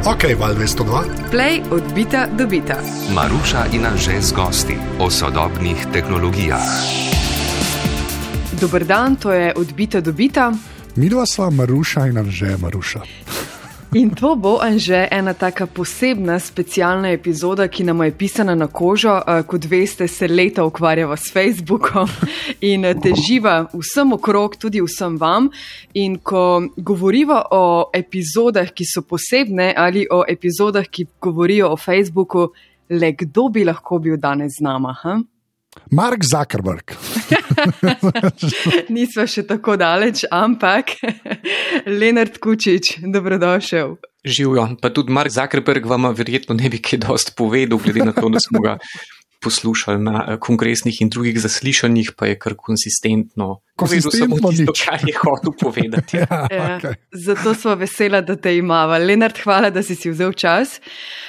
Ok, Val 202. Play od bita do bita. Maruša in Anže z gosti o sodobnih tehnologijah. Dober dan, to je od bita do bita. Midva sva Maruša in Anže Maruša. In to bo, Anže, ena taka posebna, specialna epizoda, ki nam je pisana na kožo. Kot veste, se leta ukvarjava s Facebookom in teživa vsem okrog, tudi vsem vam. In ko govoriva o epizodah, ki so posebne, ali o epizodah, ki govorijo o Facebooku, le kdo bi lahko bil danes z nama? Mark Zuckerberg. Nisva še tako daleč, ampak Lenart Kučič, dobrodošel. Živjo, pa tudi Mark Zuckerberg vama verjetno ne bi kaj dosti povedal, glede na to, da smo ga poslušali na kongresnih in drugih zaslišanjih, pa je kar konsistentno povedal samo tisto, kar je hotel povedati. Okay. Zato sva vesela, da te imava. Lenart, hvala, da si vzel čas.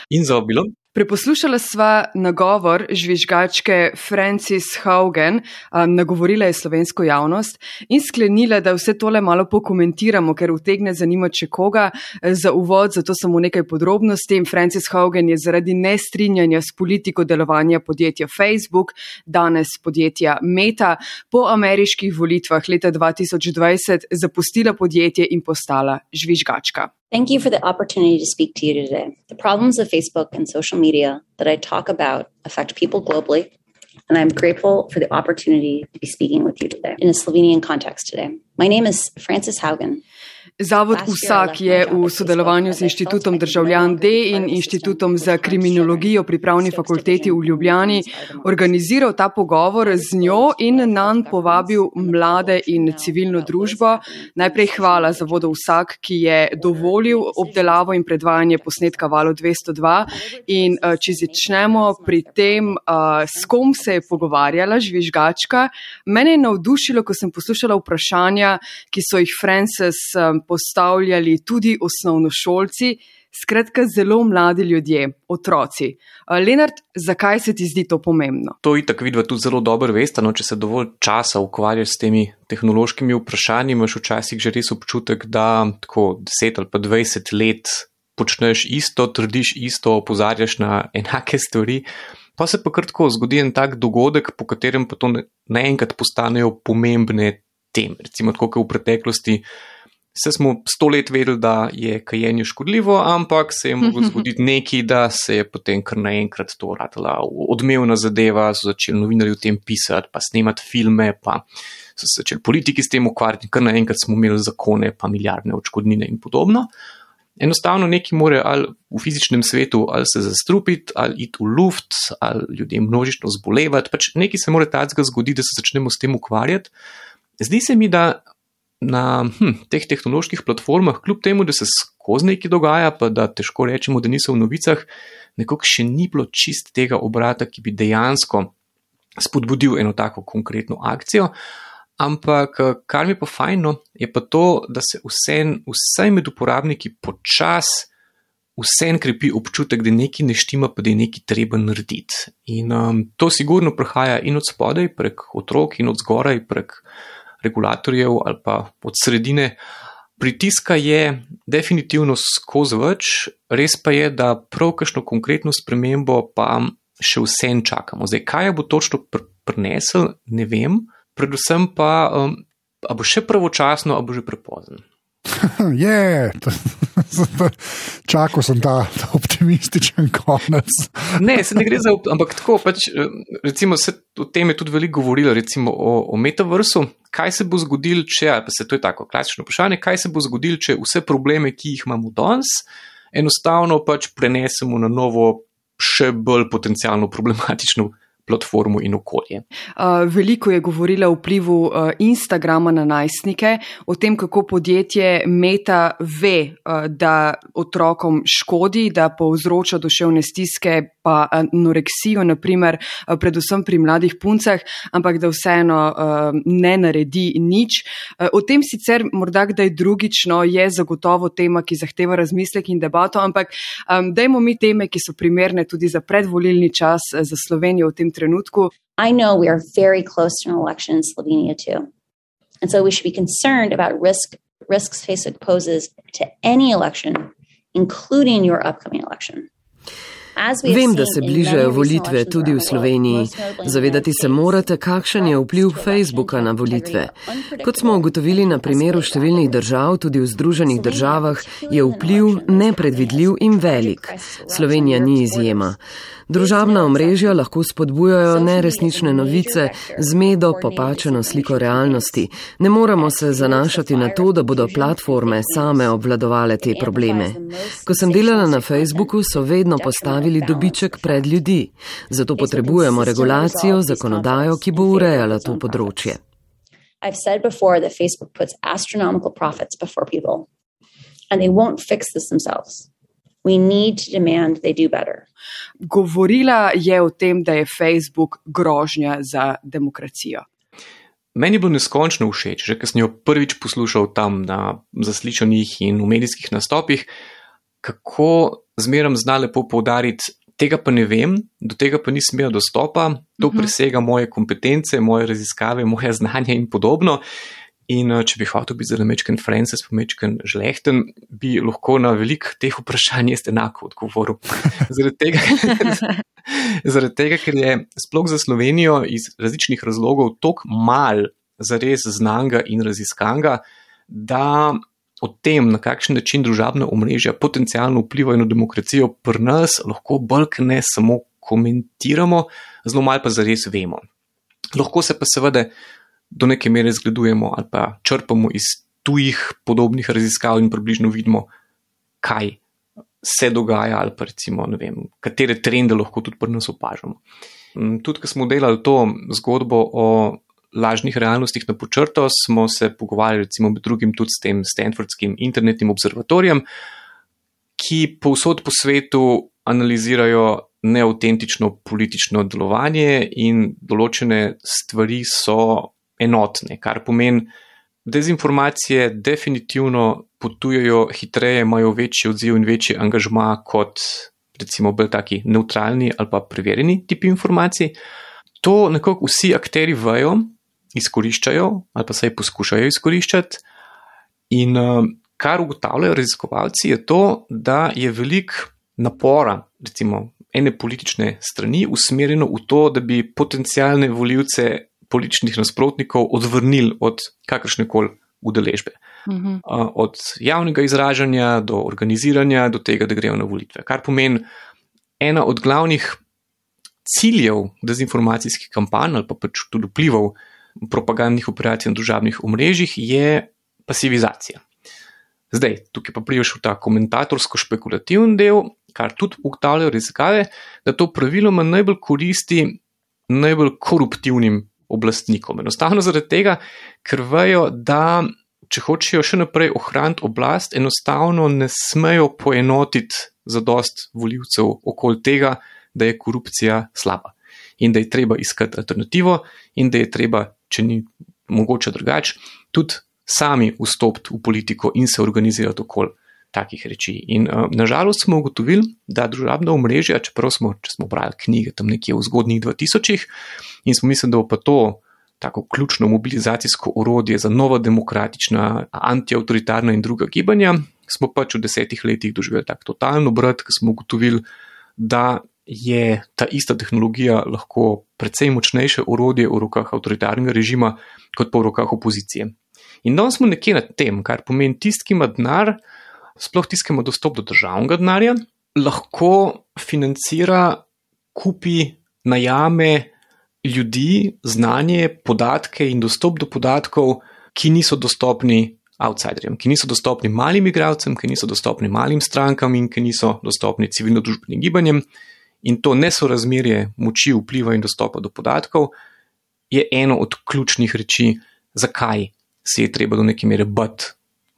In za obilo. Preposlušala sva nagovor žvižgačke Frances Haugen, nagovorila je slovensko javnost in sklenila, da vse tole malo pokomentiramo, ker utegne zanimati še koga. Za uvod, zato samo nekaj podrobnosti. Frances Haugen je zaradi nestrinjanja s politiko delovanja podjetja Facebook, danes podjetja Meta, po ameriških volitvah leta 2020 zapustila podjetje in postala žvižgačka. Thank you for the opportunity to speak to you today. The problems of Facebook and social media that I talk about affect people globally, and I'm grateful for the opportunity to be speaking with you today in a Slovenian context today. My name is Frances Haugen. Zavod Vsak je v sodelovanju z Inštitutom Državljan D in Inštitutom za kriminologijo pri Pravni fakulteti v Ljubljani organiziral ta pogovor z njo in nanj povabil mlade in civilno družbo. Najprej hvala Zavodu Vsak, ki je dovolil obdelavo in predvajanje posnetka Valu 202. In če začnemo pri tem, s kom se je pogovarjala žvižgačka, mene je navdušilo, ko sem poslušala vprašanja, ki so jih Frances postavljali tudi osnovnošolci, skratka zelo mladi ljudje, otroci. Lenart, zakaj se ti zdi to pomembno? To itak vidva tudi zelo dobro veste, če se dovolj časa ukvarjaš s temi tehnološkimi vprašanji, imaš včasih že res občutek, da tako 10 ali pa 20 let počneš isto, trdiš isto, opozarjaš na enake stvari, pa se pa kar tako zgodi en tak dogodek, po katerem pa to naenkrat postanejo pomembne teme. Recimo tako, kot v preteklosti se smo 100 let vedeli, da je kajenje škodljivo, ampak se je moglo zgoditi nekaj, da se je potem kar naenkrat to ratala odmevna zadeva, so začeli novinarji o tem pisati, pa snemati filme, pa so se začeli politiki s tem ukvarjati, kar naenkrat smo imeli zakone, pa milijardne odškodnine in podobno. Enostavno nekaj more ali v fizičnem svetu ali se zastrupiti, ali iti v luft, ali ljudje množično zbolevati, pač nekaj se mora takega zgoditi, da se začnemo s tem ukvarjati. Zdi se mi, da na teh tehnoloških platformah, kljub temu, da se skozi nekaj dogaja, pa da težko rečemo, da niso v novicah, nekako še ni bilo čist tega obrata, ki bi dejansko spodbudil eno tako konkretno akcijo. Ampak kar mi je pa fajno, je pa to, da se vsaj med uporabniki počas vsem krepi občutek, da nekaj ne štima, pa da je nekaj treba narediti. In to sigurno prihaja in od spodaj, prek otrok, in od zgoraj, prek regulatorjev ali pa od sredine. Pritiska je definitivno skozi več, res pa je, da prav kakšno konkretno spremembo pa še vsem čakamo. Zdaj, kaj bo točno prinesel, ne vem, predvsem pa, a bo še pravočasno, a bo že prepozno. Čakal sem ta optimističen konec. Ne, se ne gre za, ampak tako pač, recimo se o tem je tudi veliko govorilo, recimo o metaversu, kaj se bo zgodilo, če, pa se to je tako klasično vprašanje, kaj se bo zgodilo, če vse probleme, ki jih imamo danes, enostavno pač prenesemo na novo, še bolj potencialno problematično platformo in okolje. Veliko je govorila o vplivu Instagrama na najstnike, o tem, kako podjetje Meta ve, da otrokom škodi, da povzroča duševne stiske, pa anoreksijo, naprimer, predvsem pri mladih puncah, ampak da vseeno ne naredi nič. O tem sicer morda kdaj drugično je zagotovo tema, ki zahteva razmislek in debato, ampak dajmo mi teme, ki so primerne tudi za predvolilni čas za Slovenijo v tem trenutku. I know we are very close to an election in Slovenia too. And so we should be concerned about risks Facebook poses to any election including your upcoming election. Vem, da se bližajo volitve tudi v Sloveniji. Zavedati se morate, kakšen je vpliv Facebooka na volitve. Kot smo ugotovili na primeru številnih držav, tudi v Združenih državah, je vpliv nepredvidljiv in velik. Slovenija ni izjema. Družabna omrežja lahko spodbujajo neresnične novice, zmedo, popačeno sliko realnosti. Ne moremo se zanašati na to, da bodo platforme same obvladovale te probleme. Ko sem delala na Facebooku, so vedno postavili dobiček pred ljudi. Zato potrebujemo regulacijo, zakonodajo, ki bo urejala to področje. I've said before that Facebook puts astronomical profits before people, and they won't fix this themselves. We need to demand they do better. Govorila je o tem, da je Facebook grožnja za demokracijo. Meni je bilo neskončno všeč, že ko sem jo prvič poslušal tam na zaslišanjih in v medijskih nastopih, kako zmeram zna lepo poudariti, tega pa ne vem, do tega pa nisem imel dostopa, to presega moje kompetence, moje raziskave, moje znanje in podobno. In če bi hotel biti zelo mečken Francis, pa mečken žlehten, bi lahko na veliko teh vprašanj jaz enako odgovoril. Zaradi tega, ker je sploh za Slovenijo iz različnih razlogov toliko mal zares znanga in raziskanega, da o tem, na kakšen način družabna omrežja potencialno vplivajo na demokracijo pri nas, lahko bolj ne samo komentiramo, zelo malo pa zares vemo. Lahko se pa seveda do neke mere zgledujemo ali pa črpamo iz tujih podobnih raziskav in približno vidimo, kaj se dogaja ali pa recimo, ne vem, katere trende lahko tudi pri nas opažamo. Tudi, ko smo delali to zgodbo o lažnih realnostih na počrto, smo se pogovarjali recimo med drugim tudi s tem Stanfordskim internetnim observatorijem, ki povsod po svetu analizirajo neautentično politično delovanje in določene stvari so enotne, kar pomeni, dezinformacije definitivno potujejo hitreje, imajo večji odziv in večji angažma kot recimo bolj taki neutralni ali pa preverjeni tipi informacij. To nekako vsi akteri vejo, izkoriščajo ali pa saj poskušajo izkoriščati in kar ugotavljajo raziskovalci je to, da je veliko napora, recimo ene politične strani usmerjeno v to, da bi potencialne volivce političnih nasprotnikov odvrnili od kakršnekoli udeležbe. Od javnega izražanja do organiziranja, do tega, da grejo na volitve. Kar pomeni, ena od glavnih ciljev dezinformacijskih kampanj ali pa pač tudi vplivov propagandnih operacij na družabnih omrežjih je pasivizacija. Zdaj, tukaj pa prideš v ta komentatorsko-špekulativen del, kar tudi ugotavljajo raziskave, da to praviloma najbolj koristi najbolj koruptivnim oblastnikom. Enostavno zaradi tega, ker vejo, da če hočejo še naprej ohraniti oblast, enostavno ne smejo poenotiti zadost volivcev okoli tega, da je korupcija slaba in da je treba iskati alternativo in da je treba, če ni mogoče drugače, tudi sami vstopiti v politiko in se organizirati okoli takih reči. In nažalost smo ugotovili, da družabna omrežja, čeprav če smo brali knjige tam nekje v zgodnjih 2000-ih in smo mislili, da bo pa to tako ključno mobilizacijsko orodje za nova demokratična, antiautoritarna in druga gibanja, smo pač v 10 letih doživeli tak totalno obrat, ko smo ugotovili, da je ta ista tehnologija lahko precej močnejše orodje v rokah avtoritarnega režima, kot pa v rokah opozicije. In danes smo nekje nad tem, kar pomeni tisti, ki ima denar, sploh tisti, ki ima dostop do državnega denarja, lahko financira, kupi, najame ljudi, znanje, podatke in dostop do podatkov, ki niso dostopni outsiderjem, ki niso dostopni malim igralcem, ki niso dostopni malim strankam in ki niso dostopni civilno-družbenim gibanjem. In to nesorazmerje moči, vpliva in dostopa do podatkov je eno od ključnih reči, zakaj se je treba do neke mere bati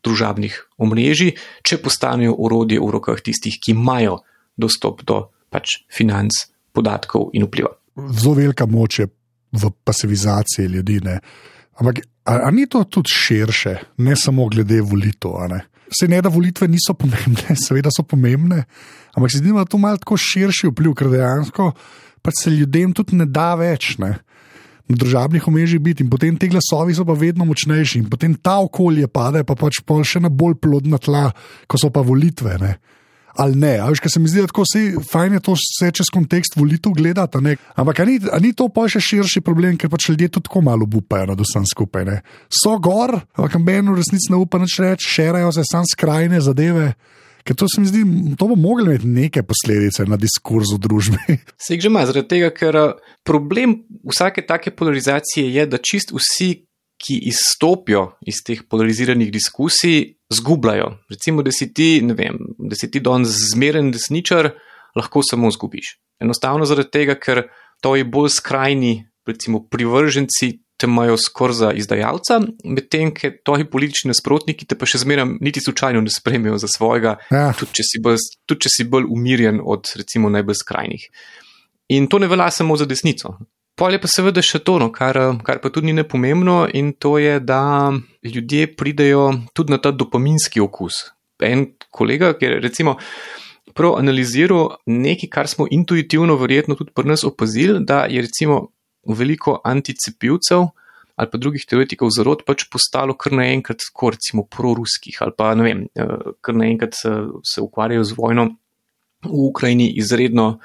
družabnih omrežij, če postanejo orodje v rokah tistih, ki imajo dostop do pač financ, podatkov in vpliva. Zelo velika moč je v pasivizaciji ljudi, ne? Ampak a ni to tudi širše, ne samo glede volitev, a ne? Vse ne, da volitve niso pomembne, seveda so pomembne, ampak se zdi, da to malo tako širši vpliv, ker dejansko pač se ljudem tudi ne da več, ne? Na družabnih omrežjih biti in potem te glasovi so pa vedno močnejši in potem ta okolje pade pa pač pol še na bolj plodna tla, ko so pa volitve, ne? ali ne. A veš, ker se mi zdi, da tako fajn je to vse čez kontekst volitev gledati, ne. Ampak a ni to pa še širši problem, ker pač ljudje tudi tako malo upajo nad vsem skupaj, ne. So gor, ampak meni v resnici ne upa nič reči, šerajo se sam skrajne zadeve. Ker to se mi zdi, to bo moglo imeti neke posledice na diskurz v družbi. Se jih že ima, zaradi tega, ker problem vsake take polarizacije je, da čist vsi, ki izstopijo iz teh polariziranih diskusij, zgubljajo. Recimo, da si ti danes zmeren desničar, lahko samo zgubiš. Enostavno zaradi tega, ker to je bolj skrajni, recimo, privrženci te imajo skoraj za izdajalca, medtem, ker toji politični nasprotniki te pa še zmeraj niti slučajno ne spremijo za svojega, tudi če si bolj umirjen od, recimo, najbolj skrajnih. In to ne velja samo za desnico. Pol je pa seveda še to, kar pa tudi ni nepomembno, in to je, da ljudje pridejo tudi na ta dopaminski okus. En kolega, ki je recimo prav analiziral nekaj, kar smo intuitivno verjetno tudi pri nas opazili, da je recimo veliko anticepivcev ali pa drugih teoretikov zarod pač postalo kar naenkrat tako recimo proruskih ali pa kar naenkrat se ukvarjajo z vojno v Ukrajini izredno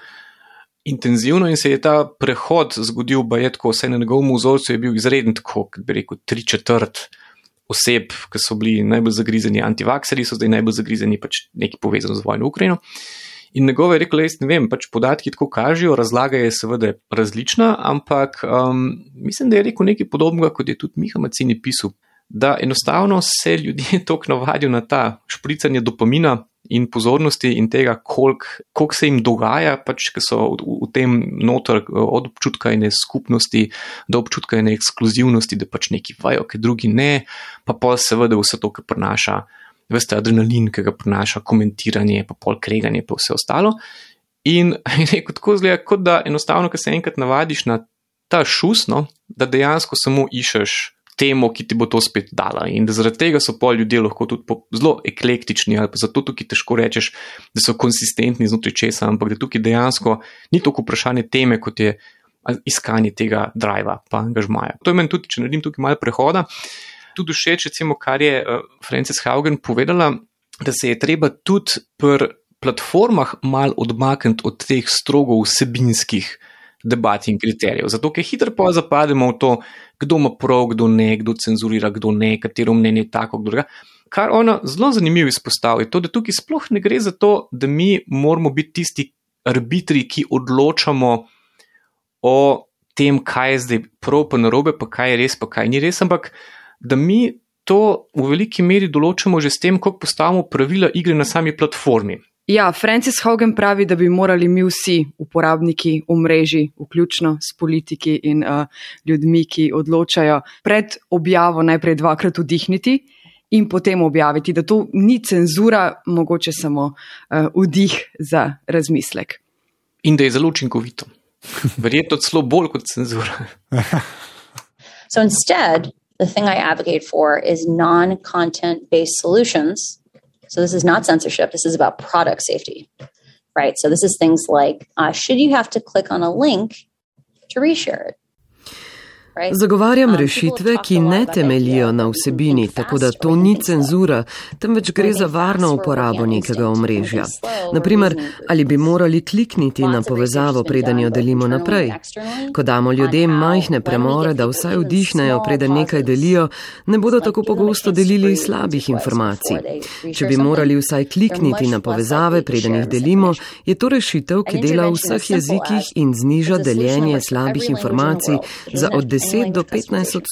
intenzivno in se je ta prehod zgodil, bajetko, vse na njegovem vzorcu je bil izreden tako, kot bi rekel, 3/4 oseb, ki so bili najbolj zagrizeni antivakseri, so zdaj najbolj zagrizeni pač nekaj povezano z vojno v Ukrajino. In njegove je rekel, jaz ne vem, pač podatki tako kažejo, razlaga je seveda različna, ampak mislim, da je rekel nekaj podobnega, kot je tudi Miha Mazzini pisal, da enostavno se ljudje toliko navadijo na ta špricanje dopamina in pozornosti in tega, koliko se jim dogaja, pač, ki so v tem noter od občutka ene skupnosti do občutka ene ekskluzivnosti, da pač neki vajo, ki drugi ne, pa pol seveda vse to, ki prinaša veste, adrenalin, ki ga prinaša komentiranje, pa pol kreganje, pa vse ostalo. In rekel, tako zgleda, kot da enostavno, ko se enkrat navadiš na ta šus, da dejansko samo iščeš temo, ki ti bo to spet dala. In da zaradi tega so pol ljudje lahko tudi zelo eklektični, ali pa zato tukaj težko rečeš, da so konsistentni znotraj česa, ampak da tukaj dejansko ni toliko vprašanje teme, kot je iskanje tega driva, pa angažmaja. To je meni tudi, če naredim tukaj malo prehoda, tudi všeč, recimo, kar je Frances Haugen povedala, da se je treba tudi pri platformah mal odmakniti od teh strogo vsebinskih debat in kriterijev. Zato, ker hitro pa zapademo v to, kdo ima prav, kdo ne, kdo cenzurira, kdo ne, katero mnenje je tako, kdo druga. Kar ona zelo zanimivo izpostavi, to, da tukaj sploh ne gre za to, da mi moramo biti tisti arbitri, ki odločamo o tem, kaj je zdaj prav pa narobe, pa kaj je res, pa kaj ni res, ampak da mi to v veliki meri določamo že s tem, kako postavimo pravila igre na sami platformi. Ja, Frances Haugen pravi, da bi morali mi vsi uporabniki omrežij, vključno s politiki in ljudmi, ki odločajo, pred objavo najprej 2-krat vdihniti in potem objaviti, da to ni cenzura, mogoče samo vdih za razmislek. In da je zelo učinkovito. Verjetno celo bolj kot cenzura. So instead, the thing I advocate for is non-content-based solutions. So this is not censorship. This is about product safety, right? So this is things like, should you have to click on a link to reshare it? Zagovarjam rešitve, ki ne temeljijo na vsebini, tako da to ni cenzura, temveč gre za varno uporabo nekega omrežja. Naprimer, ali bi morali klikniti na povezavo, preden jo delimo naprej. Ko damo ljudem majhne premore, da vsaj vdihnejo, preden nekaj delijo, ne bodo tako pogosto delili slabih informacij. Če bi morali vsaj klikniti na povezave, preden jih delimo, je to rešitev, ki dela v vseh jezikih in zniža deljenje slabih informacij za od 10 do 15%.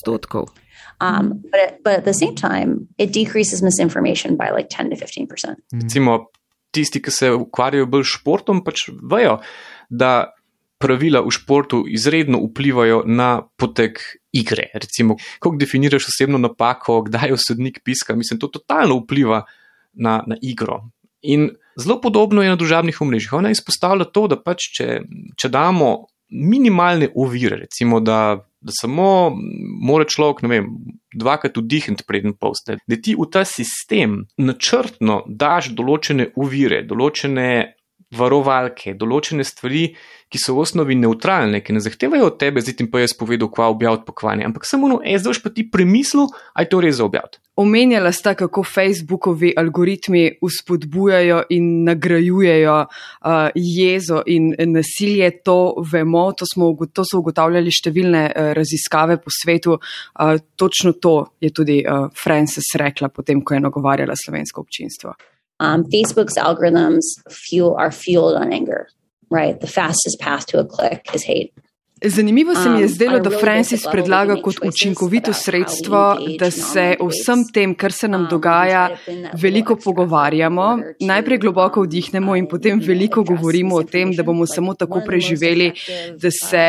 But at the same time, it decreases misinformation by like 10 to 15%. Recimo, tisti, ki se ukvarjajo bolj športom, pač vejo, da pravila v športu izredno vplivajo na potek igre. Recimo, kako definiraš osebno napako, kdaj jo sodnik piska, mislim, to totalno vpliva na igro. In zelo podobno je na družabnih omrežjih. Ona izpostavlja to, da pač, če damo minimalne ovire, recimo, da samo mora človek, ne vem, 2-krat vdihniti preden poste, da ti v ta sistem načrtno daš določene ovire, določene varovalke, določene stvari, ki so v osnovi neutralne, ki ne zahtevajo od tebe, zdaj ti pa jaz povedal, kva objaviti pokvanje, ampak samo zdaj boš pa ti premislil, aj to res za objaviti. Omenjala sta, kako Facebookovi algoritmi vzpodbujajo in nagrajujejo jezo in nasilje, to vemo, to so ugotavljali številne raziskave po svetu, točno to je tudi Frances rekla potem, ko je nagovarjala slovensko občinstvo. Facebook's algorithms are fueled on anger, right? The fastest path to a click is hate. Zanimivo se mi je zdelo, da Frances predlaga kot učinkovito sredstvo, da se o vsem tem, kar se nam dogaja, veliko pogovarjamo, najprej globoko vdihnemo in potem veliko govorimo o tem, da bomo samo tako preživeli, da se,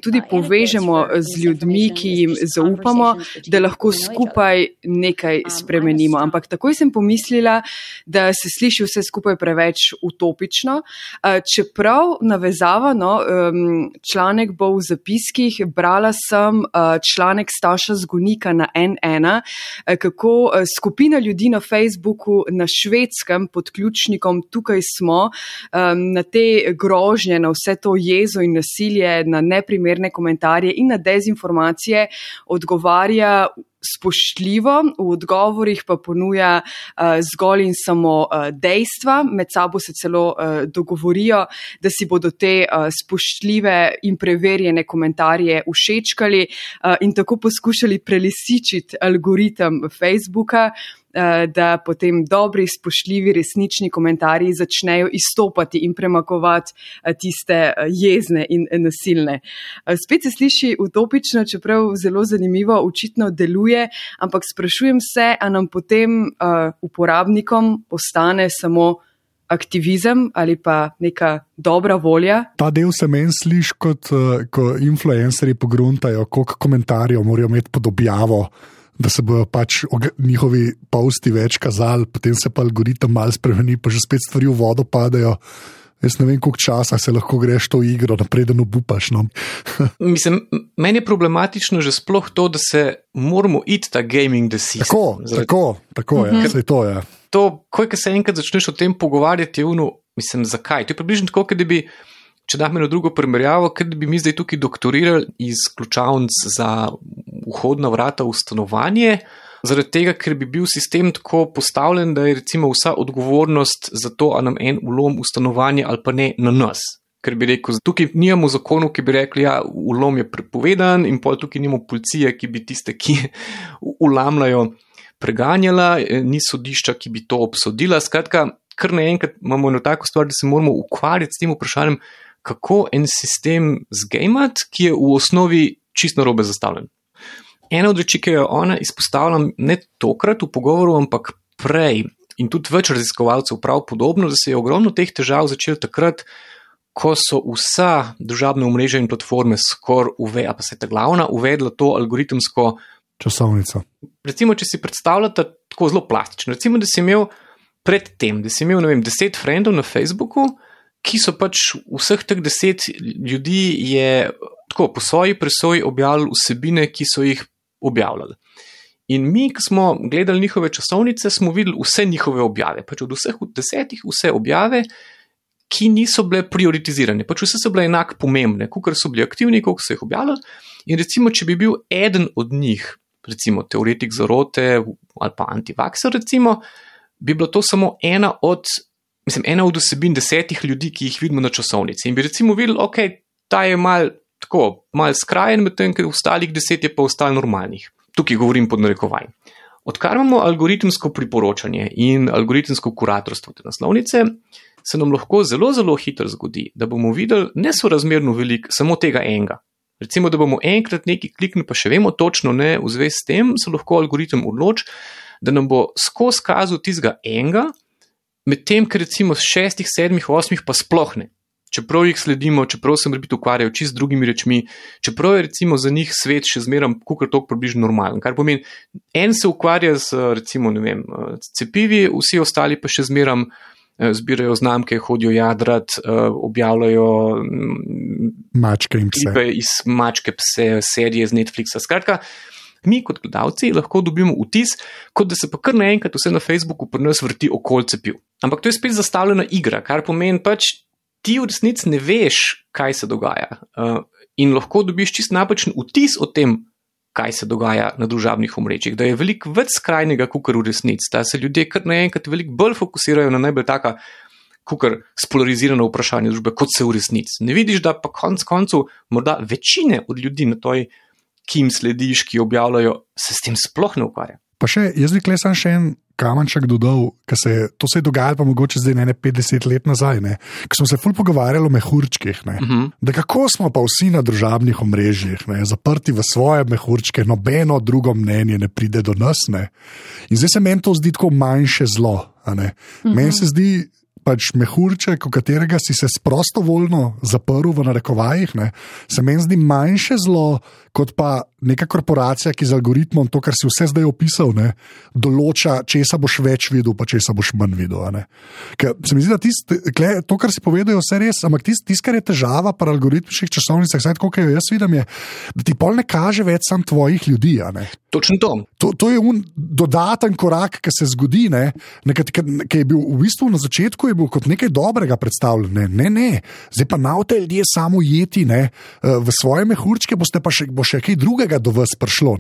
tudi povežemo z ljudmi, ki jim zaupamo, da lahko skupaj nekaj spremenimo. Ampak takoj sem pomislila, da se sliši vse skupaj preveč utopično, čeprav navezava, članek bo v zapiskih, brala sem članek Staša Zgonika na N1, kako skupina ljudi na Facebooku na Švedskem pod ključnikom Tukaj smo, na te grožnje, na vse to jezo in nasilje, na neprimerne komentarje in na dezinformacije odgovarja spoštljivo, v odgovorih pa ponuja zgolj in samo dejstva, med sabo se celo dogovorijo, da si bodo te spoštljive in preverjene komentarje všečkali in tako poskušali prelisičiti algoritem Facebooka, da potem dobri, spoštljivi, resnični komentarji začnejo izstopati in premagovati tiste jezne in nasilne. Spet se sliši utopično, čeprav zelo zanimivo, očitno deluje, ampak sprašujem se, a nam potem uporabnikom postane samo aktivizem ali pa neka dobra volja? Ta del se meni sliši kot, ko influencerji pogruntajo, koliko komentarjev morajo imeti pod objavo, da se bojo pač njihovi posti več kazali, potem se pa algoritem malo spremeni, pa že spet stvari v vodo padajo. Jaz ne vem, koliko časa se lahko greš to igro, napreden obupaš. Mislim, meni je problematično že sploh to, da se moramo iti ta gaming the system. Tako je, saj to je. To, ko se enkrat začneš o tem pogovarjati, je zakaj? To je približno tako, da bi, če dam eno drugo primerjavo, ker bi mi zdaj tukaj doktorirali iz ključavnic za vhodna vrata v stanovanje, zaradi tega, ker bi bil sistem tako postavljen, da je recimo vsa odgovornost za to, a nam en vlom v stanovanje ali pa ne na nas. Ker bi rekel, tukaj nimamo zakonov, ki bi rekli, vlom je prepovedan in pol tukaj nimamo policije, ki bi tiste, ki vlamljajo, preganjala, ni sodišča, ki bi to obsodila. Skratka, kar naenkrat imamo eno tako stvar, da se moramo ukvarjati s tem vprašanjem, kako en sistem zgamati, ki je v osnovi čisto narobe zastavljen. Ena od reči, ki jo ona izpostavlja ne tokrat v pogovoru, ampak prej in tudi več raziskovalcev prav podobno, da se je ogromno teh težav začelo takrat, ko so vsa družabna omrežja in platforme skoraj pa se ta glavna uvedla to algoritemsko časovnico. Recimo, če si predstavljate tako zelo plastično, recimo, da si imel predtem, da si imel, 10 frendov na Facebooku, ki so pač vseh teh 10 ljudi je tako po svoji presoji objavljali vsebine, ki so jih objavljali. In mi, ko smo gledali njihove časovnice, smo videli vse njihove objave, pač od vseh 10 vse objave, ki niso bile prioritizirane, pač vse so bile enako pomembne, kolikor so bili aktivni, koliko so jih objavljali. In recimo, če bi bil eden od njih, recimo teoretik zarote ali pa antivakser, recimo, bi bilo to samo ena od vsebin 10 ljudi, ki jih vidimo na časovnici. In bi recimo videli, ta je mal skrajen, medtem ker ostalih 10 je pa ostalo normalnih. Tukaj govorim pod narekovaj. Odkar imamo algoritemsko priporočanje in algoritemsko kuratorstvo te naslovnice, se nam lahko zelo, zelo hitro zgodi, da bomo videli nesorazmerno veliko samo tega enega. Recimo, da bomo enkrat nekaj kliknili, pa še vemo točno ne, v zvezi s tem se lahko algoritem odloči, da nam bo skozi kazal tistega enega, medtem, ker recimo 6, 7, 8 pa sploh ne. Čeprav jih sledimo, čeprav se morebiti ukvarjajo čisto z drugimi rečmi, čeprav je recimo za njih svet še zmeraj kakor toliko približno normalen. Kar pomeni, en se ukvarja z recimo, cepivi, vsi ostali pa še zmeraj zbirajo znamke, hodijo jadrat, objavljajo mačke in pse. Iz mačke pse, serije z Netflixa. Skratka, mi kot gledalci lahko dobimo vtis, kot da se pa kar naenkrat vse na Facebooku pri nas vrti okoli cepiv. Ampak to je spet zastavljena igra, kar pomeni pač, ti v resnici ne veš, kaj se dogaja. In lahko dobiš čist napačen vtis o tem, kaj se dogaja na družabnih omrežjih, da je veliko več skrajnega, kakor v resnici, da se ljudje kar naenkrat veliko bolj fokusirajo na najbolj taka, kakor spolarizirana vprašanja družbe, kot se v resnici. Ne vidiš, da pa koncu morda večine od ljudi na toj, ki jim slediš, ki objavljajo, se s tem sploh ne ukvarja. Pa jaz bi klej sam še en kamenček dodal, to se je dogajalo pa mogoče zdaj ne 50 let nazaj, ko smo se ful pogovarjali o mehurčkih, da kako smo pa vsi na družabnih omrežjih, zaprti v svoje mehurčke, nobeno drugo mnenje ne pride do nas, in zdaj se meni to zdi tako manjše zlo, meni se zdi pač mehurček, v katerega si se prostovoljno zaprl v narekovajih, se meni zdi manjše zlo, kot pa neka korporacija, ki z algoritmom, to, kar si vse zdaj opisal, določa, česa boš več videl, pa česa boš manj videl. Ker se mi zdi, da to, kar si povedal, je vse res, ampak kar je težava pri algoritmičnih časovnicah, saj tako, kaj jaz vidim, je, da ti pol ne kaže več sam tvojih ljudi. Točno to. To je dodaten korak, ki se zgodi, ki je bil v bistvu na začetku je bil kot nekaj dobrega predstavljen. Ne. Zdaj pa navte ljudje samo jeti, v svoje mehurčke bo še kaj drugega do vas prišlo.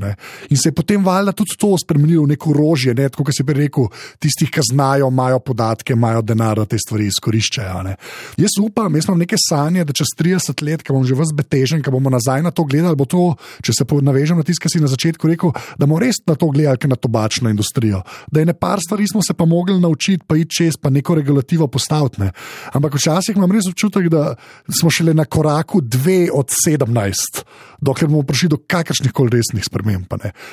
In se je potem valjda tudi to spremenilo v neko orožje, tako kot si prej rekel, tistih, ki znajo, imajo podatke, imajo denar, da te stvari izkoriščajo. Jaz upam, jaz imam neke sanje, da čez 30 let, ko bom že ves betežen, ko bomo nazaj na to gledali, bo to, če se navežem na tisto, kar si na začetku rekel, da bomo res na to gledali, kot na tobačno industrijo. Da je par stvari smo se pa mogli naučiti, pa iti čez, pa neko regulativo postaviti. Ampak včasih imam res občutek, da smo šele na koraku 2 od 17, dokler bomo prišli do kakršnih koli resnih sprememb.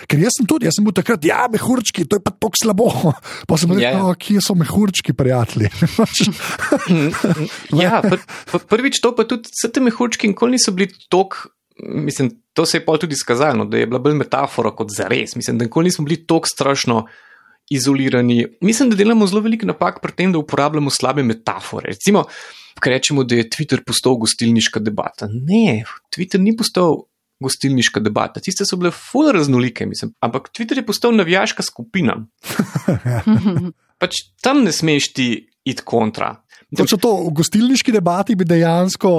Ker jaz sem bil takrat, mehurčki, to je pa tako slabo. Pa sem rekel, kje so mehurčki, prijatelji? Prvič to pa tudi, vse te mehurčki nikoli niso bili toliko, mislim, to se je pol tudi skazalo, da je bila bolj metafora kot zares. Mislim, da nikoli nismo bili toliko strašno izolirani. Mislim, da delamo zelo veliko napak pri tem, da uporabljamo slabe metafore. Recimo, kaj rečemo, da je Twitter postal gostilniška debata. Ne, Twitter ni postal gostilniška debata. Tiste so bile ful raznolike, mislim. Ampak Twitter je postal navijaška skupina. Pač tam ne smeš ti iti kontra. Točno to, v gostilniški debati bi dejansko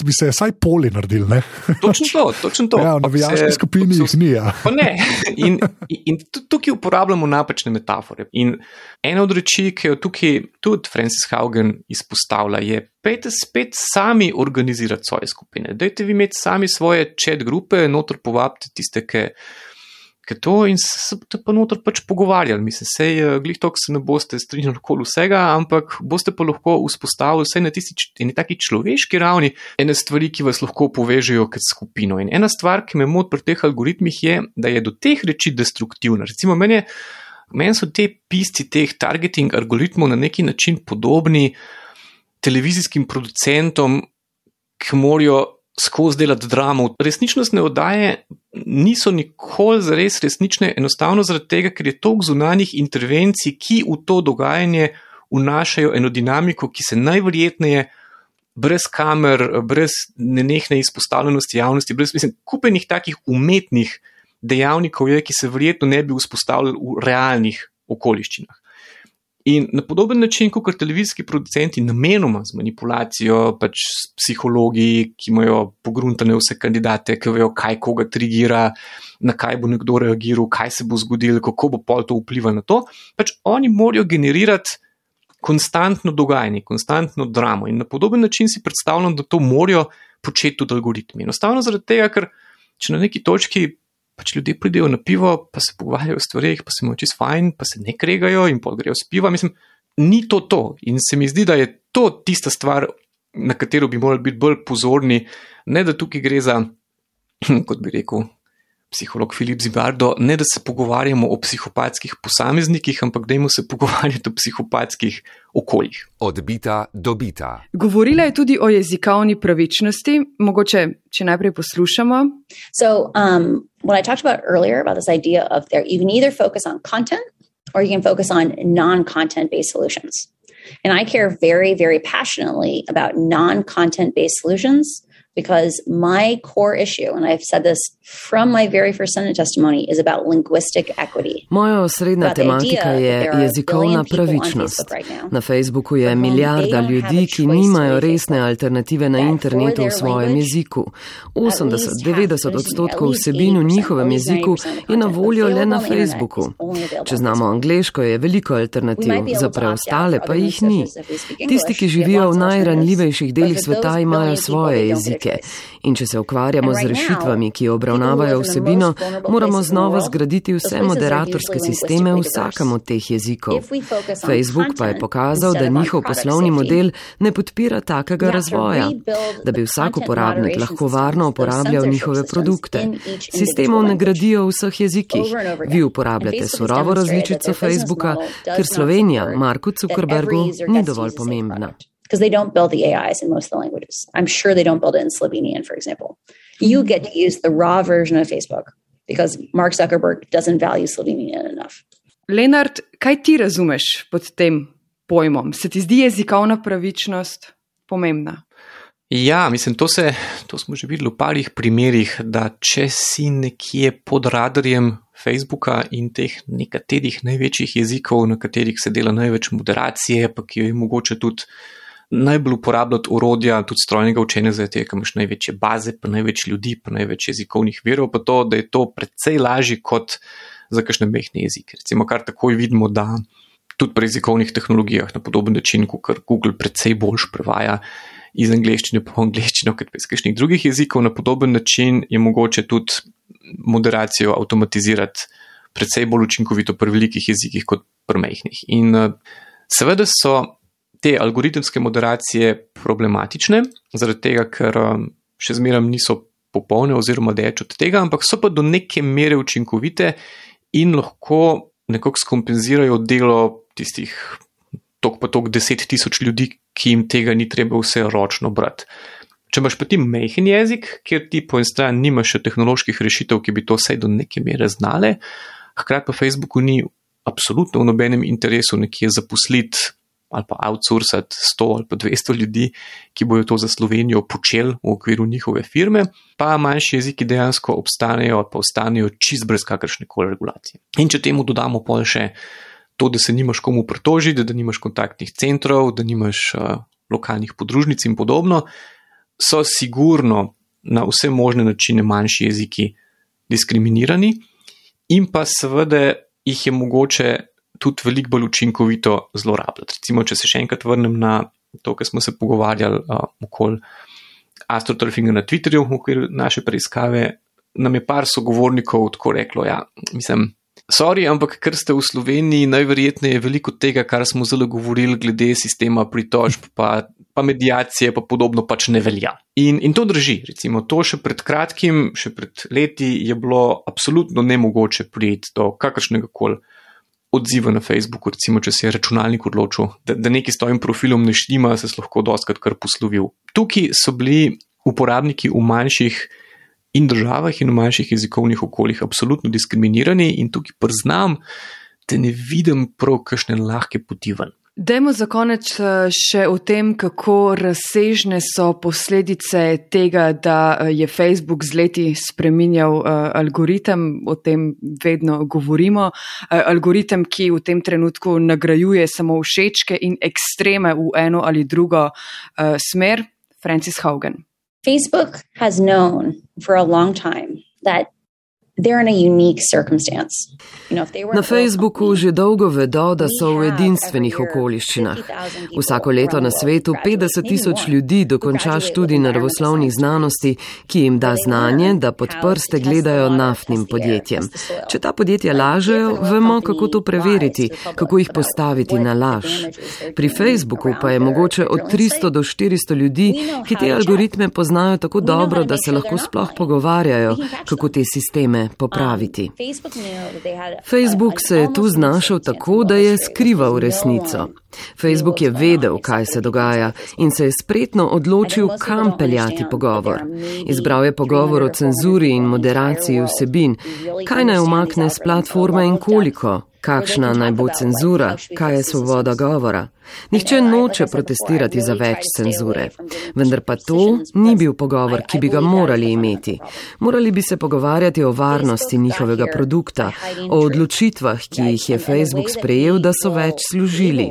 bi se vsaj poli naredili, ne? Točno to. Ja, v navijaški skupini jih ni, ja. Pa ne. In tukaj uporabljamo napačne metafore. In ena od reči, ki jo tukaj tudi Frances Haugen izpostavlja, je, pejte spet sami organizirati svoje skupine. Dajte vi imeti sami svoje chat grupe, noter povabite tiste, ki to in se pa noter pač pogovarjali. Mislim, sej glih tok se ne boste strinjali okoli vsega, ampak boste pa lahko vzpostavili vsaj na tisti taki človeški ravni ene stvari, ki vas lahko povežejo kot skupino. In ena stvar, ki me moti pri teh algoritmih je, da je do teh reči destruktivna. Recimo, meni so te pisci teh targeting algoritmov na neki način podobni televizijskim producentom, ki morajo skozi delati dramo. Resničnostne oddaje niso nikoli zares resnične, enostavno zaradi tega, ker je toliko zunanjih intervencij, ki v to dogajanje vnašajo eno dinamiko, ki se najverjetneje brez kamer, brez nenehne izpostavljenosti javnosti, brez kupenih takih umetnih dejavnikov je, ki se verjetno ne bi vzpostavljali v realnih okoliščinah. In na podoben način, kot televizijski producenti namenoma z manipulacijo, pač s psihologi, ki imajo pogruntane vse kandidate, ki vejo, kaj koga trigira, na kaj bo nekdo reagiral, kaj se bo zgodilo, kako bo pol to vplivalo na to, pač oni morajo generirati konstantno dogajanje, konstantno dramo. In na podoben način si predstavljam, da to morajo početi tudi algoritmi. Enostavno zaradi tega, ker če na neki točki pač ljudje pridejo na pivo, pa se pogovarjajo o stvarih, pa se imajo čisto fajn, pa se ne kregajo in pol grejo s piva. Mislim, ni to. In se mi zdi, da je to tista stvar, na katero bi morali biti bolj pozorni, ne da tukaj gre za, kot bi rekel psiholog Filip Zimbardo, ne da se pogovarjamo o psihopatskih posameznikih, ampak dajmo se pogovarjati o psihopatskih okoljih. Od bita do bita. Govorila je tudi o jezikovni pravičnosti, mogoče, če najprej poslušamo. So, what I talked about earlier, about this idea of you can either focus on content or you can focus on non-content-based solutions. And I care very, very passionately about non-content-based solutions Because my core issue, and I've said this from my very first Senate testimony, is about linguistic equity. Moja osrednja tematika je jezikovna pravičnost. Na Facebooku je milijarda ljudi, ki nimajo resne alternative na internetu v svojem jeziku. 80-90% vsebin v njihovem jeziku je na voljo le na Facebooku. Če znamo angleško, je veliko alternativ, za preostale pa jih ni. Tisti, ki živijo v najranljivejših delih sveta, imajo svoje jezike. In če se ukvarjamo z rešitvami, ki obravnavajo vsebino, moramo znova zgraditi vse moderatorske sisteme v vsakem od teh jezikov. Facebook pa je pokazal, da njihov poslovni model ne podpira takega razvoja, da bi vsak uporabnik lahko varno uporabljal njihove produkte. Sistemov ne gradijo v vseh jezikih. Vi uporabljate surovo različico Facebooka, ker Slovenija Marku Zuckerbergu ni dovolj pomembna. Because they don't build the AIs in most of the languages. I'm sure they don't build it in Slovenian, for example. You get to use the raw version of Facebook because Mark Zuckerberg doesn't value Slovenian enough. Lenart, kaj ti razumeš pod tem pojmom? Se ti zdi jezikovna pravičnost pomembna? Ja, mislim, to smo že videli v parih primerih, da če si nekje pod radarjem Facebooka in teh nekaterih največjih jezikov, na katerih se dela največ moderacije, pa ki jo je mogoče tudi najbolj uporabljati orodja, tudi strojnega učenja, zato ker imaš največje baze, pa največ ljudi, pa največ jezikovnih virov, pa to, da je to precej lažje kot za kakšne mehne jezike. Recimo, kar takoj vidimo, da tudi pri jezikovnih tehnologijah na podoben način, kot Google precej boljš prevaja iz angleščine po angleščino, kot pa iz kakšnih drugih jezikov, na podoben način je mogoče tudi moderacijo avtomatizirati precej bolj učinkovito pri velikih jezikih kot pri mehnih. In seveda so te algoritemske moderacije problematične, zaradi tega, ker še zmeraj niso popolne oziroma daleč od tega, ampak so pa do neke mere učinkovite in lahko nekako skompenzirajo delo tistih tok 10,000 ljudi, ki jim tega ni treba vse ročno brati. Če imaš pa ti majhen jezik, kjer ti po en stran nimaš še tehnoloških rešitev, ki bi to vsaj do neke mere znale, hkrati pa Facebooku ni absolutno v nobenem interesu nekje zaposliti ali pa outsourcati 100 ali pa 200 ljudi, ki bojo to za Slovenijo počeli v okviru njihove firme, pa manjši jeziki dejansko obstanejo ali pa ostanejo čist brez kakršne koli regulacije. In če temu dodamo pol še to, da se nimaš komu pritožiti, da nimaš kontaktnih centrov, da nimaš lokalnih podružnic in podobno, so sigurno na vse možne načine manjši jeziki diskriminirani in pa seveda jih je mogoče tudi veliko bolj učinkovito zlorabljati. Recimo, če se še enkrat vrnem na to, kar smo se pogovarjali okoli astroturfinga na Twitterju v okviru naše preiskave, nam je par sogovornikov tako reklo, ja, mislim, sorry, ampak ker ste v Sloveniji, najverjetneje veliko tega, kar smo zelo govorili glede sistema pritožb, pa medijacije, pa podobno pač ne velja. In to drži, recimo, to še pred kratkim, še pred leti je bilo absolutno nemogoče priti do kakršnega koli odziva na Facebooku, recimo, če se je računalnik odločil, da neki s tvojim profilom ne štima, se lahko dostakrat kar poslovil. Tukaj so bili uporabniki v manjših in državah in v manjših jezikovnih okoljih absolutno diskriminirani in tukaj priznam, da ne vidim prav kakšne lahke poti ven. Dajmo za konec še o tem, kako razsežne so posledice tega, da je Facebook z leti spreminjal algoritem, o tem vedno govorimo. Algoritem, ki v tem trenutku nagrajuje samo všečke in ekstreme v eno ali drugo smer. Frances Haugen. Facebook has known for a long time that they're in a unique circumstance. Na Facebooku že dolgo vedo, da so v edinstvenih okoliščinah. Vsako leto na svetu 50,000 ljudi dokonča študij naravoslovnih znanosti, ki jim da znanje, da pod prste gledajo naftnim podjetjem. Če ta podjetja lažejo, vemo, kako to preveriti, kako jih postaviti na laž. Pri Facebooku pa je mogoče od 300 do 400 ljudi, ki te algoritme poznajo tako dobro, da se lahko sploh pogovarjajo, kako te sisteme popraviti. Facebook se je tu znašel tako, da je skrival resnico. Facebook je vedel, kaj se dogaja in se je spretno odločil, kam peljati pogovor. Izbral je pogovor o cenzuri in moderaciji vsebin, kaj naj umakne s platforme in koliko, Kakšna naj bo cenzura? Kaj je svoboda govora? Nihče noče protestirati za več cenzure. Vendar pa to ni bil pogovor, ki bi ga morali imeti. Morali bi se pogovarjati o varnosti njihovega produkta, o odločitvah, ki jih je Facebook sprejel, da so več služili.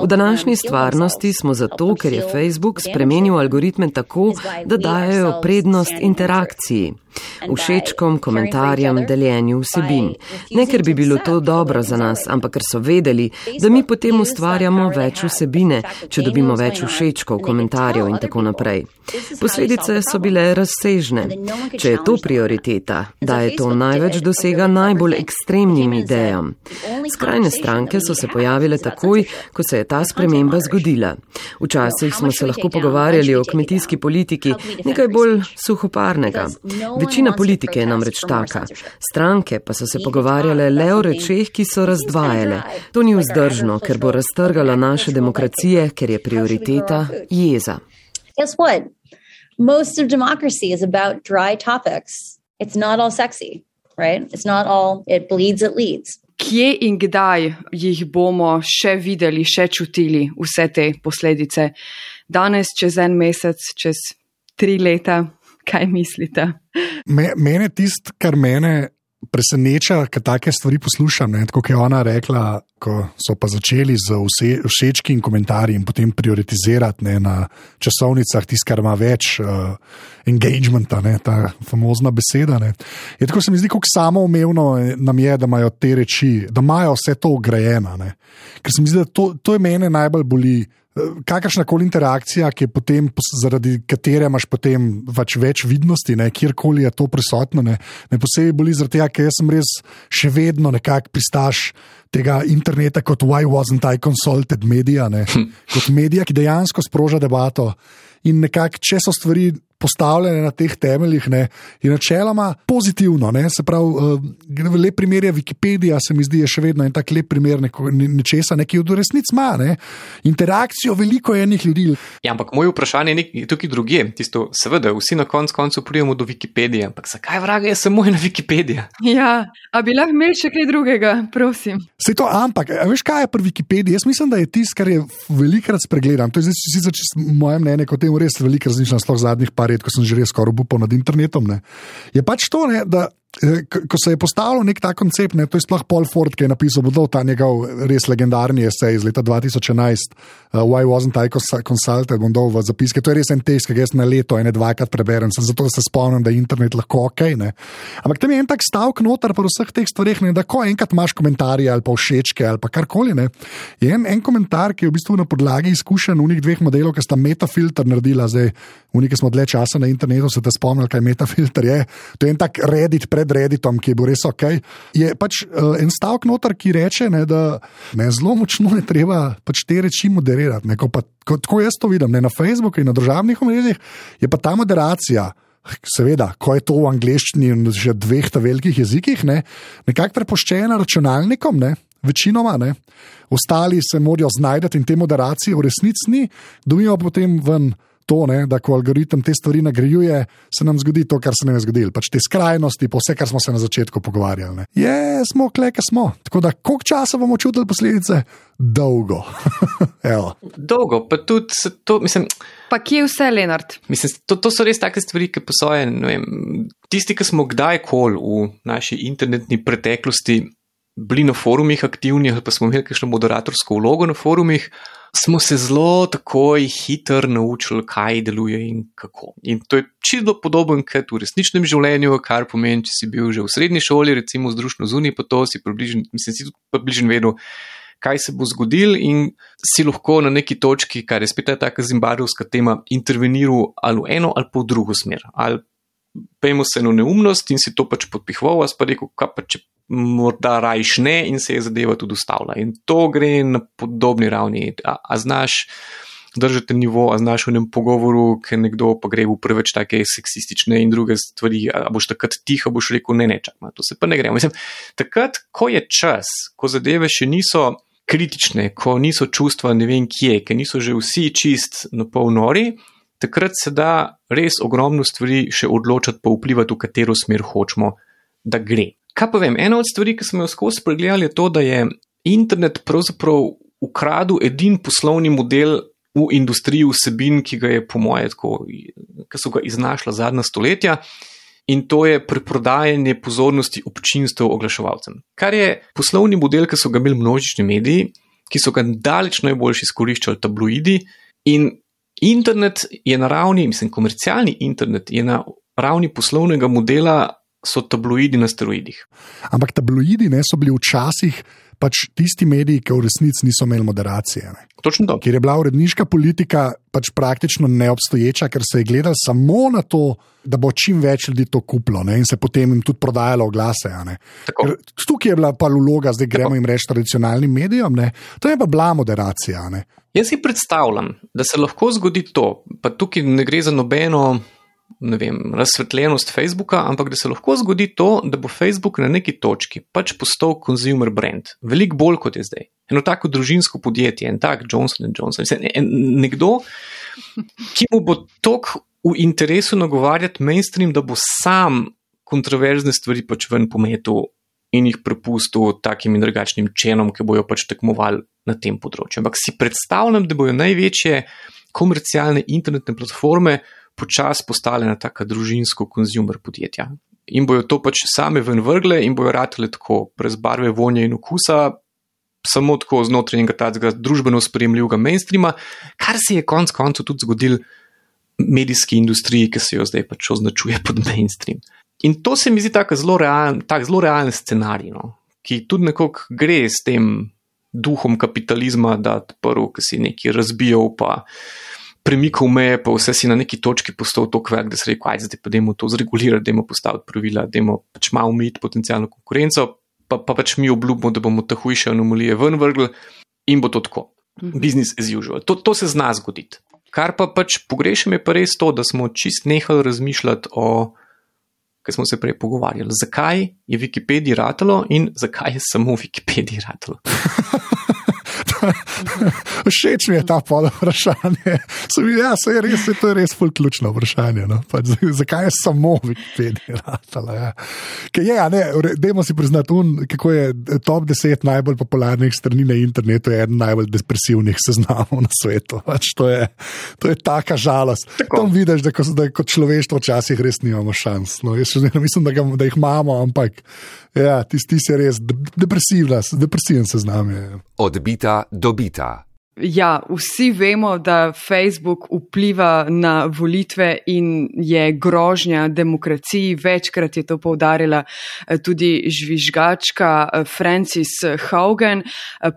V današnji stvarnosti smo zato, ker je Facebook spremenil algoritme tako, da dajejo prednost interakciji, všečkom, komentarjem, deljenju vsebin. Ne, ker bi bilo to dobro za nas, ampak ker so vedeli, da mi potem ustvarjamo več vsebine, če dobimo več všečkov, komentarjev in tako naprej. Posledice so bile razsežne. Če je to prioriteta, da je to največ dosega najbolj ekstremnim idejam. Skrajne stranke so se pojavile takoj, ko se je ta sprememba zgodila. Včasih smo se lahko pogovarjali o kmetijski politiki, nekaj bolj suhoparnega. Večina politike je namreč taka. Stranke pa so se pogovarjale le o rečeh, ki so razdvajale. To ni vzdržno, ker bo raztrgala naše demokracije, ker je prioriteta jeza. Guess what? Most of democracy is about dry topics. It's not all sexy, right? It's not all it bleeds, it leads. Kje in kdaj jih bomo še videli, še čutili vse te posledice? Danes, čez en mesec, čez 3 leta, kaj mislite? Mene tist, kar mene preseneča, kad take stvari poslušam, ne, tako kot je ona rekla, ko so pa začeli z všečki in komentarji in potem prioritizirati, ne, na časovnicah tist, kar ima več engagementa, ne, ta famozna beseda. Ne. Je tako se mi zdi, kako samoumevno nam je, da imajo te reči, da imajo vse to ugrajeno. Ne. Ker se mi zdi, da to je mene najbolj boli. Kakršnakoli interakcija, ki je potem, zaradi katere imaš potem več vidnosti, ne, kjerkoli je to prisotno, ne posebej boli zaradi tega, ker jaz sem res še vedno nekako pristaš tega interneta kot why wasn't I consulted media, ne, kot medija, ki dejansko sproža debato in nekako, če so stvari postavljene na teh temeljih, ne, je načeloma pozitivno, ne, se pravi, lep primer je Wikipedija, se mi zdi, je še vedno en tak lep primer nečesa, ki v resnici ima, ne, interakcijo veliko enih ljudi. Ja, ampak moje vprašanje je tukaj drugje, tisto, seveda, vsi na koncu pridemo do Wikipedije, ampak zakaj vraga je samo ena Wikipedija? Ja, a bi lahko imeli še kaj drugega, prosim. Sej to, ampak, veš kaj je pri Wikipediji? Jaz mislim, da je tisto, kar je velikrat spregledam, to je zdaj sicer moje mnenje, kot temu res veliko razmišljam, sploh zadnjih par let, ko sem že res skoraj obupal nad internetom, ne. Je pač to, ne, da ko se je postavil nek ta koncept, ne, to je sploh Paul Ford, ki je napisal ta njegov res legendarni esej iz leta 2011, Why wasn't I consulted, bom dal v zapiske, to je res en tekst, ki ga jaz na leto dvakrat preberem, zato se spomnim, da je internet lahko okej, ne. Ampak tam je en tak stavek noter po vseh teh stvareh, ne, da ko enkrat imaš komentarje ali pa všečke ali pa karkoli, ne, je en komentar, ki je v bistvu na podlagi izkušenj unih 2 modelov, ki sta metafilter naredila, zdaj unih, ki smo dlje časa na internetu, se te spomnili, kaj metafilter je. To je en tak Reddit pred Redditom, ki je bil res okej. Je pač en stavek noter, ki reče, ne, da ne, zelo močno je treba pač te reči moderirati. Ne, tako jaz to vidim, ne, na Facebooku in na družabnih omrežjih je pa ta moderacija, seveda, ko je to v angleščini in že 2 velikih jezikih, ne, nekako prepuščena računalnikom, ne, večinoma, ne. Ostali se morajo znajdati in te moderacije v resnici ni, dobijo potem ven to, ne, da ko algoritem te stvari nagrajuje, se nam zgodi to, kar se nam je zgodilo. Pač te skrajnosti, po vse, kar smo se na začetku pogovarjali. Ne. Smo kleke smo. Tako da, koliko časa bomo čutili posledice? Dolgo. Dolgo, pa tudi to, mislim... Pa kje vse, Lenart? Mislim, to so res take stvari, ki posoje, ne vem, tisti, ki smo kdajkoli v naši internetni preteklosti bili na forumih aktivni, ali pa smo imeli kakšno moderatorsko vlogo na forumih, smo se zelo takoj hitro naučili, kaj deluje in kako. In to je čisto podoben kot v resničnem življenju, kar pomeni, če si bil že v srednji šoli, recimo združno zunaj, pa to si približno vedel, kaj se bo zgodil in si lahko na neki točki, kar je spet taka zimbabvevska tema, interveniral ali v eno ali pa v drugo smer. Ali pejmo se eno neumnost in si to pač podpihoval, a pa rekel, kaj pa če morda rajš ne in se je zadeva tudi ustavila. In to gre na podobni ravni. A znaš držati nivo, a znaš v enem pogovoru, ker nekdo pa gre v preveč take seksistične in druge stvari, a boš takrat tiho, boš rekel, ne, čakaj, to se pa ne gre. Mislim, takrat, ko je čas, ko zadeve še niso kritične, ko niso čustva ne vem kje, ker niso že vsi čist na pol nori, takrat se da res ogromno stvari še odločati pa vplivati, v katero smer hočemo, da gre. Kaj pa vem, ena od stvari, ki smo jo skozi pregledali, je to, da je internet pravzaprav ukradel edin poslovni model v industriji vsebin, ki ga je po moje tako, ki so ga iznašla zadnja stoletja, in to je preprodajanje pozornosti občinstev oglaševalcem. Kar je poslovni model, ki so ga imeli množični mediji, ki so ga daleč najboljši izkoriščali tabloidi, in internet je na ravni, komercialni internet je na ravni poslovnega modela, so tabloidi na steroidih. Ampak tabloidi so bili včasih pač tisti mediji, ki v resnici niso imeli moderacije. Ne? Točno to. Ker je bila uredniška politika pač praktično neobstoječa, ker se je gledalo samo na to, da bo čim več ljudi to kupilo, ne? In se potem jim tudi prodajalo oglase. Tukaj je bila pa vloga, zdaj gremo jim reči tradicionalnim medijem, ne? To je pa bila moderacija. Ne? Jaz si predstavljam, da se lahko zgodi to, pa tukaj ne gre za nobeno razsvetljenost Facebooka, ampak da se lahko zgodi to, da bo Facebook na neki točki pač postal consumer brand. Veliko bolj kot je zdaj. Eno tako družinsko podjetje, en tak Johnson & Johnson. Nekdo, ki mu bo toliko v interesu nagovarjati mainstream, da bo sam kontroverzne stvari pač ven pometil in jih prepustil takim in drugačnim čenom, ki bojo pač tekmovali na tem področju. Ampak si predstavljam, da bojo največje komercialne internetne platforme počas postale na taka družinsko-konzumer podjetja. In bojo to pač same ven vrgle in bojo ratele tako brez barve, vonja in okusa, samo tako znotraj enega takega družbeno sprejemljivega mainstreama, kar se je konec koncev tudi zgodil medijski industriji, ki se jo zdaj pač označuje pod mainstream. In to se mi zdi tak zelo realen scenarij, ki tudi nekako gre s tem duhom kapitalizma, da prvo, ki si nekaj razbijal, pa premikal meje, pa vse si na neki točki postal toliko velik, da se rekel, zdaj pa dajmo to zregulirati, dajmo postaviti pravila, dajmo pač malo omejiti potencialno konkurenco, pa pač mi obljubimo, da bomo te hujše anomalije ven vrgli in bo to tako. Business as usual. To se zna zgoditi. Kar pa pač pogrešam je pa res to, da smo čist nehali razmišljati o, kaj smo se prej pogovarjali, zakaj je Wikipediji ratalo in zakaj je samo Wikipediji ratalo. Všeč mi je ta pol vprašanje. To je res ful ključno vprašanje. No? Pač, zakaj je samo Wikipedia ratala? Ja. Dajmo si priznati, kako je top 10 najbolj popularnih strani na internetu, je eden najbolj depresivnih seznamov na svetu. Pač, to je taka žalost. Tam vidiš, da kot človeštvo včasih res nimamo šans. No, jaz še mislim, da jih imamo, ampak ja, tisti je res depresiven seznam. Odbita dobita. Ja, vsi vemo, da Facebook vpliva na volitve in je grožnja demokraciji. Večkrat je to poudarila tudi žvižgačka Frances Haugen,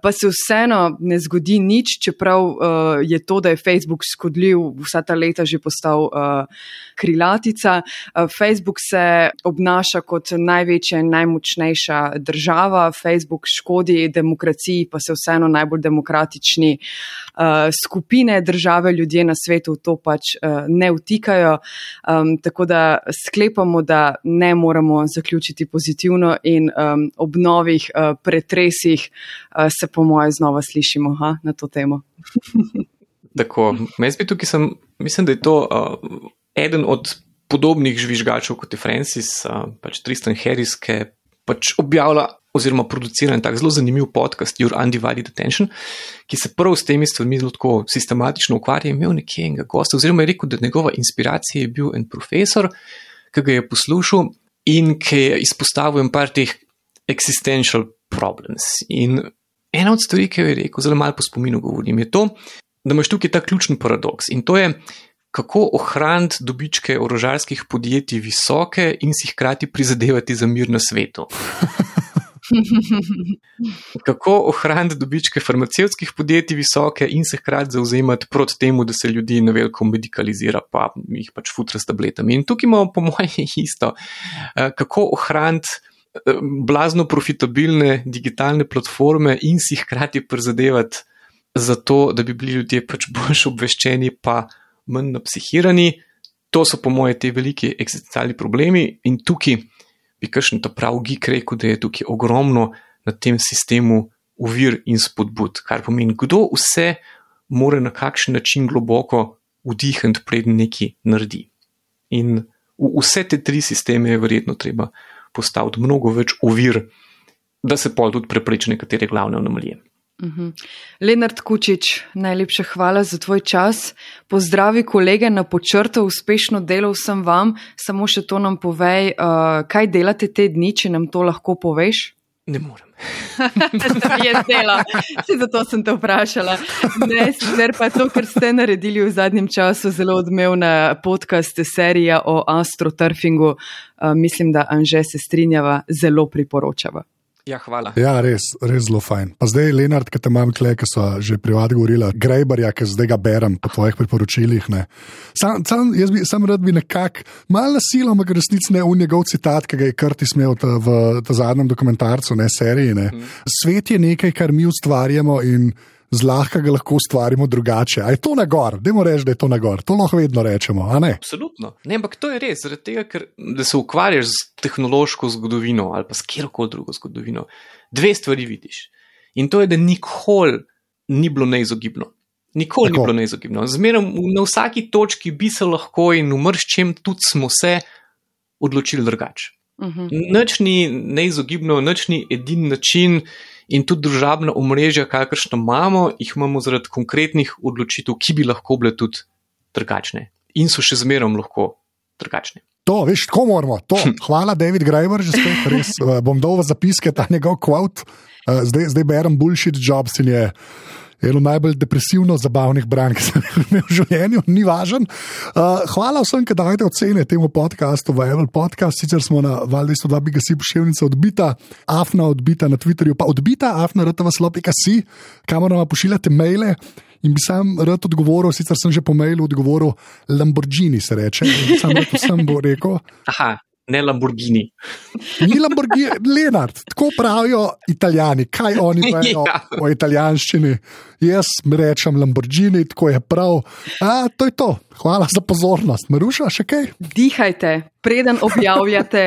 pa se vseeno ne zgodi nič, čeprav je to, da je Facebook škodljiv, vsa ta leta že postal krilatica. Facebook se obnaša kot največja in najmočnejša država. Facebook škodi demokraciji, pa se vseeno najbolj demokratični skupine, države, ljudje na svetu to pač ne vtikajo, tako da sklepamo, da ne moramo zaključiti pozitivno in ob novih pretresih se po moje znova slišimo na to temo. Tako, mislim, da je to eden od podobnih žvižgačev kot je Francis, pač Tristan Harris, ki pač objavlja oziroma producira en tak zelo zanimiv podcast Your Undivided Attention, ki se prav s temi stvarmi zelo tako sistematično ukvarja. Imel nekje enega gosta, oziroma je rekel, da njegova inspiracija je bil en profesor, ki ga je poslušal in ki je izpostavil en par teh existential problems. In ena od stvari, ki jo je rekel, zelo malo po spominu govorim, je to, da imaš tukaj ta ključen paradoks in to je, kako ohraniti dobičke orožarskih podjetij visoke in si hkrati prizadevati za mir na svetu. Kako ohraniti dobičke farmacevtskih podjetij visoke in se hkrati zauzemati proti temu, da se ljudi na veliko medikalizira, pa jih pač futra s tabletami. In tukaj imamo po moje isto. Kako ohraniti blazno profitabilne digitalne platforme in si hkrati prizadevati za to, da bi bili ljudje pač bolj obveščeni, pa manj napsihirani. To so po moje te veliki eksistencialni problemi in tukaj bi kakšen ta prav geek rekel, da je tukaj ogromno na tem sistemu ovir in spodbud, kar pomeni, kdo vse mora na kakšen način globoko vdihniti, preden nekaj naredi. In vse te tri sisteme je verjetno treba postaviti mnogo več ovir, da se pol tudi prepreči nekatere glavne anomalije. Lenart Kučič, najlepša hvala za tvoj čas. Pozdravi kolege na Počrtu, uspešno delo vsem vam. Samo še to nam povej, kaj delate te dni, če nam to lahko poveš? Ne morem. Je zdela, zato sem te vprašala. Ne, sicer pa to, kar ste naredili v zadnjem času, zelo odmevna podcast serija o astroturfingu. Mislim, da Anže se strinjava, zelo priporočava. Ja, hvala. Ja, res zelo fajn. Pa zdaj, Lenart, ki te imam tle, ki so že privat govorila, Grejbarja, ki zdaj ga berem po tvojih priporočilih. Sam rad bi nekako, malo nasilo, ampak resnici ne, njegov citat, ki ga je Curtis imel v zadnjem dokumentarcu, ne, seriji. Ne. Svet je nekaj, kar mi ustvarjamo in zlahka ga lahko ustvarimo drugače. A je to nagor? Dajmo reči, da je to nagor. To lahko vedno rečemo, a ne? Absolutno. Ne, ampak to je res, zaradi tega, ker da se ukvarjaš z tehnološko zgodovino ali pa s kjerkoli drugo zgodovino, dve stvari vidiš. In to je, da nikoli ni bilo neizogibno. Nikoli ni bilo neizogibno. Zmeraj na vsaki točki bi se lahko in v mrščem tudi smo se odločili drugače. Nič ni neizogibno, nič ni edin način. In tudi družabna omrežja, kakršno imamo, jih imamo zaradi konkretnih odločitev, ki bi lahko bile tudi drugačne. In so še zmerom lahko drugačne. To, veš, tako moramo. To. Hvala, David Graeber, že spet res. Bom dal v zapiske ta njegov quote. Zdaj berem Bullshit Jobs in je eno najbolj depresivno zabavnih branj, ki sem imel v življenju, ni važen. Hvala vsem, ki dajete ocene temu podcastu v Apple Podcast, sicer smo na Val 202 Bigasi Poševnica odbita, Afna odbita na Twitterju, pa odbita afna.rtv.si, kamor nam pošiljate maile in bi sam rad odgovoril, sicer sem že po mailu odgovoril Lamborghini, se reče, in sam rad vsem bo rekel. Aha. Ne Lamborghini. Ni Lamborghini, Lenart, tako pravijo Italijani, kaj oni vejo o italijanščini. Jaz rečem Lamborghini, tako je prav. To je to. Hvala za pozornost. Maruša, še kaj? Dihajte, preden objavljate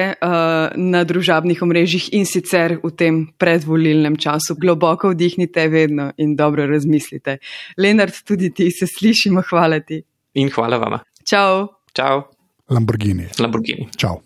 na družabnih omrežjih in sicer v tem predvolilnem času. Globoko vdihnite vedno in dobro razmislite. Lenart, tudi ti se slišimo, hvala ti. In hvala vama. Čau. Čau. Lamborghini. Lamborghini. Čau.